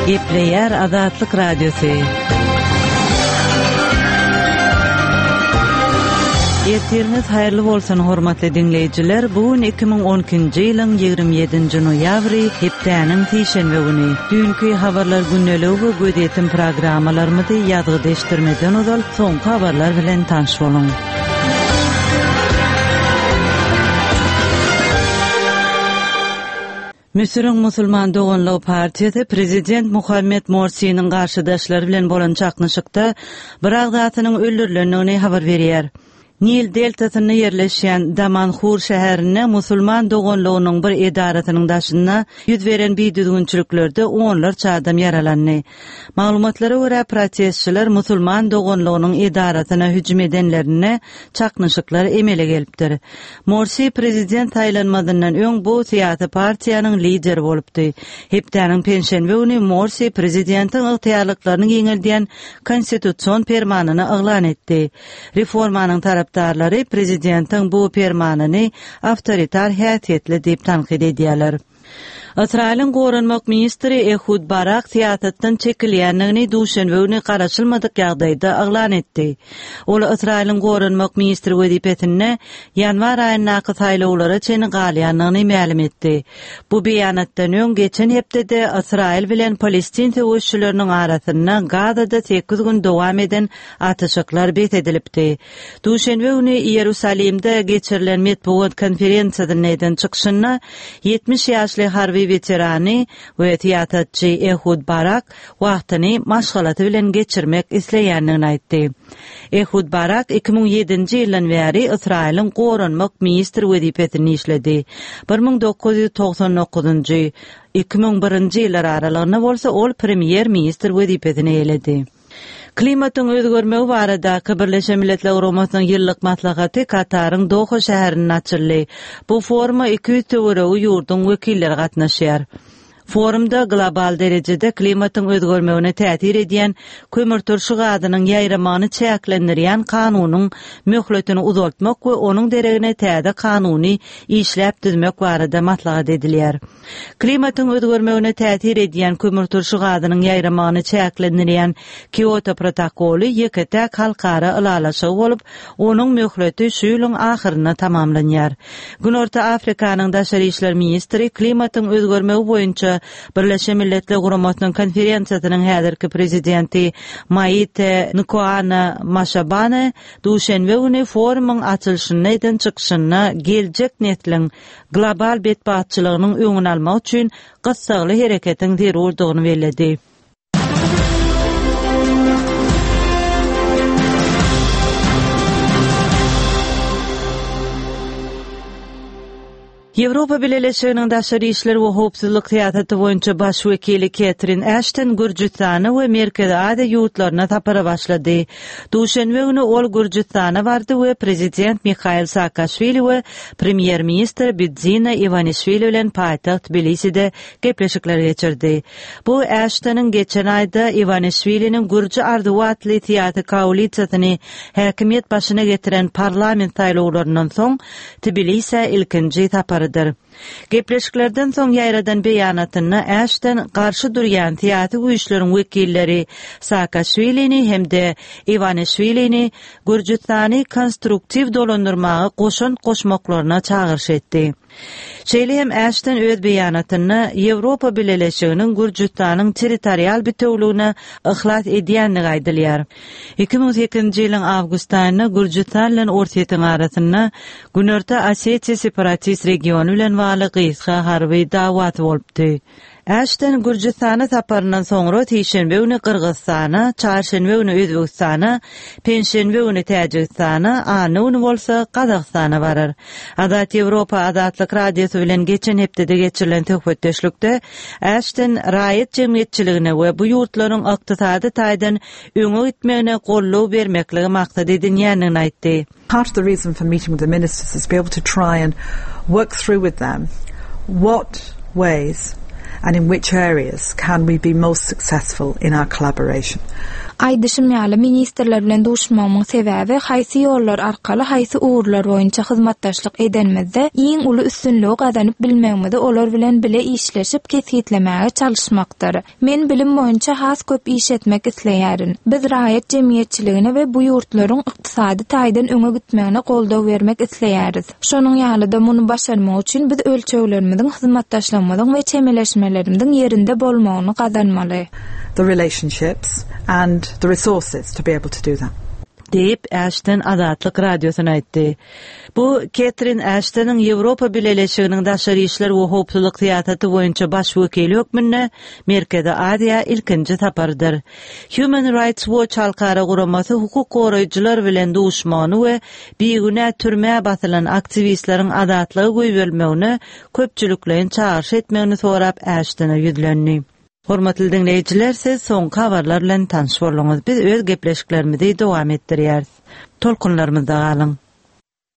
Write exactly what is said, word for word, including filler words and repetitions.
Gepleýär Azatlyk Radiosy. Ertiriňiz haýyrly bolsun hormatly diňleýjiler. Bu gün iki müň on ikinji ýylyň ýigrimi ýedinji noýabry, hepdäniň sişenbe güni. Düýnki habarlar gündeligi we gözýetim programmalarymyzy ýazgy deşdirmeden ozal soňky habarlar bilen tanyş boluň. Müsüriň Musulman Doganlygy partiýasy Prezident Muhammed Morsiniň garşydaşlary bilen bolan çaknyşykda bir agzasynyň öldürilendigini habar berýär. Nil deltasynda ýerleşýän Damanhur şäherinde Musulman Doganlygynyň bir edarasynyň daşynda ýüz beren bidüzgünçiliklerde onlarça adam ýaralandy. Maglumatlara görä protestçiler Musulman Doganlygynyň edarasyna hüjüm edenlerinde çaknyşyklar emele gelipdir. Morsi prezident saýlanmazyndan öň bu syýasy partiýanyň lideri bolupdy. Hepdäniň penşenbe güni Morsi prezidentiň ygtyýarlyklaryny giňeldýän konstitusion permanyny yglan etdi. Reformanyň tarapdarlary prezidentiň bu permanyny awtoritar häsiýetli diýip tankyt edýärler. Ysraýylyň goranmak ministri Ehud Barak syýasatdan çekilýändigini duşenbe güni garaşylmadyk ýagdaýda yglan etdi. Ol Ysraýylyň goranmak ministri wezipesinde ýanwar aýyndaky saýlawlara çenli galýandygyny mälim etdi. Bu beýanatdan öň geçen hepdede Ysraýyl bilen Palestin söweşçileriniň arasynda Gazada sekiz gün dowam eden atyşyklar bes edilipdi. Duşenbe güni Iýerusalimde geçirilen metbugat konferensiýasynda eden çykyşynda ýetmiş ýaşly harby weterany we syýasatçy Ehud Barak wagtyny maşgalasy bilen geçirmek isleýändigini aýtdy. Ehud Barak iki müň ýedinji ýyldan bäri Ysraýylyň goranmak ministri wezipesini işledi. Bir müň dokuz ýüz togsan dokuzynjy, iki müň birinji ýyllar aralygynda bolsa ol premýer ministr wezipesini eýeledi. Klimatyň özgermegi baradaky Birleşen Milletler Guramasynyň ýyllyk maslahaty Kataryň Doha şäherinde açyldy. Bu foruma iki ýüz töweregi ýurduň wekilleri gatnaşýar. Forumda global derejede klimatyň özgermegine täsir edýän kömürturşy gazynyň ýaýramagyny çäklendirýän kanunyň möhletini uzaltmak we onuň deregine täze kanuny işläp düzmek barada maslahat edilýär. Klimatyň özgermegine täsir edýän kömürturşy gazynyň ýaýramagyny çäklendirýän Kyoto protokoly ýeke-täk halkara ylalaşygy bolup, onuň möhleti şu ýylyň ahyrynda tamamlanýar. Günorta Afrikanyň daşary işler ministri klimatyň özgermegi boýunça Birleşen Milletler Guramasynyň konferensiýasynyň häzirki prezidenti Maite Nkoana Maşabane duşenbe güni forumyň açylyşynda eden çykyşynda geljek nesliň global betbagtçylygynyň öňüni almak üçin gyssagly hereketiň zerurdygyny belledi. Ýewropa Bileleşiginiň daşary işler we howpsuzlyk syýasaty boýunça baş wekili Ketrin Ashton Gürjüstana we Merkezi Aziýa ýurtlaryna sapara başlady. Duşenbe güni ol Gürjüstana bardy we prezident Mihail Saakaşwili we premýer-ministr Bidzina Iwanişwili bilen paýtagt Tbiliside gepleşikler geçirdi. Bu Ashtonyň geçen aýda Iwanişwiliniň Gürji arzuwy atly syýasy koalisiýasyny häkimiýet başyna getiren parlament saýlawlaryndan soň Tbilisä ilkinji saparydyr. Gepleşiklerden soň ýaýradan beýanatynda Ashton garşy durýan syýasy güýçleriň wekilleri Saakaşwilini hem-de Iwanişwilini Gürjüstany konstruktiw dolandyrmaga goşant goşmaklaryna çagyryş etdi. Şeýle hem Ashton öz beýanatynda Ýewropa Bileleşiginiň Gürjüstanyň territorial bitewligine yhlas edýändigi aýdylýar. Iki müň sekizinji ýylyň awgust aýynda Gürjüstan bilen Orsýetiň arasynda Günorta Osetiýa separatist regiony bilen bagly gysga harby dawasy bolupdy. Ashton Gürjüstana saparyndan soňra sişenbe güni Gyrgyzystana, çarşenbe güni Özbegistana, penşenbe güni Täjigistana, anna güni bolsa Gazagystana barar. Azat Ýewropa Azatlyk Radiosy bilen geçen hepdede geçirilen söhbetdeşlikde Ashton raýat jemgyýetçiligine we bu ýurtlaryň ykdysady taýdan öňe gitmegine goldaw bermekligi maksat edinýändigini aýtdy. Part of the reason for meeting with the ministers is to be able to try and work through with them what ways and in which areas can we be most successful in our collaboration. Aýdyşym ýaly ministrler bilen duşmagymyň sebäbi haýsy ýollar arkaly haýsy ugurlar boýunça hyzmatdaşlyk edenimizde iň uly üstünligi gazanyp bilmegimizi olar bilen bile işleşip kesgitlemäge çalyşmakdyr. Men bilim boýunça has köp iş etmek isleýärin. Biz raýat jemgyýetçiligine we bu ýurtlaryň ykdysady taýdan öňe gitmegine goldaw bermek isleýäris. Şonuň ýaly-da muny başarmak üçin biz ölçeglerimiziň, hyzmatdaşlygymyzyň we çemeleşmelerimiziň ýerinde bolmagyny gazanmaly. The relationships and the resources to be able to do that. Diýip Ashton Azatlyk Radiosyna aýtdy. Bu Ketrin Ashtonyň Ýewropa Bileleşiginiň daşary işler we howpsuzlyk syýasaty boýunça baş wekili hökmünde Merkezi Aziýa ilkinji saparydyr. Human Rights Watch halkara guramasy hukuk goraýjylar bilen duşmagyny we bigünä türmä basylan aktiwistleriň azatlyga goýberilmegine köpçülikleýin çagyryş etmegini sorap Ashtona ýüzlendi. Hormatly diňleýjiler, siz soňky habarlar bilen tanyş bolduňyz. Biz öz gepleşiklerimizi dowam etdirýäris. Tolkunlarymyzda galyň.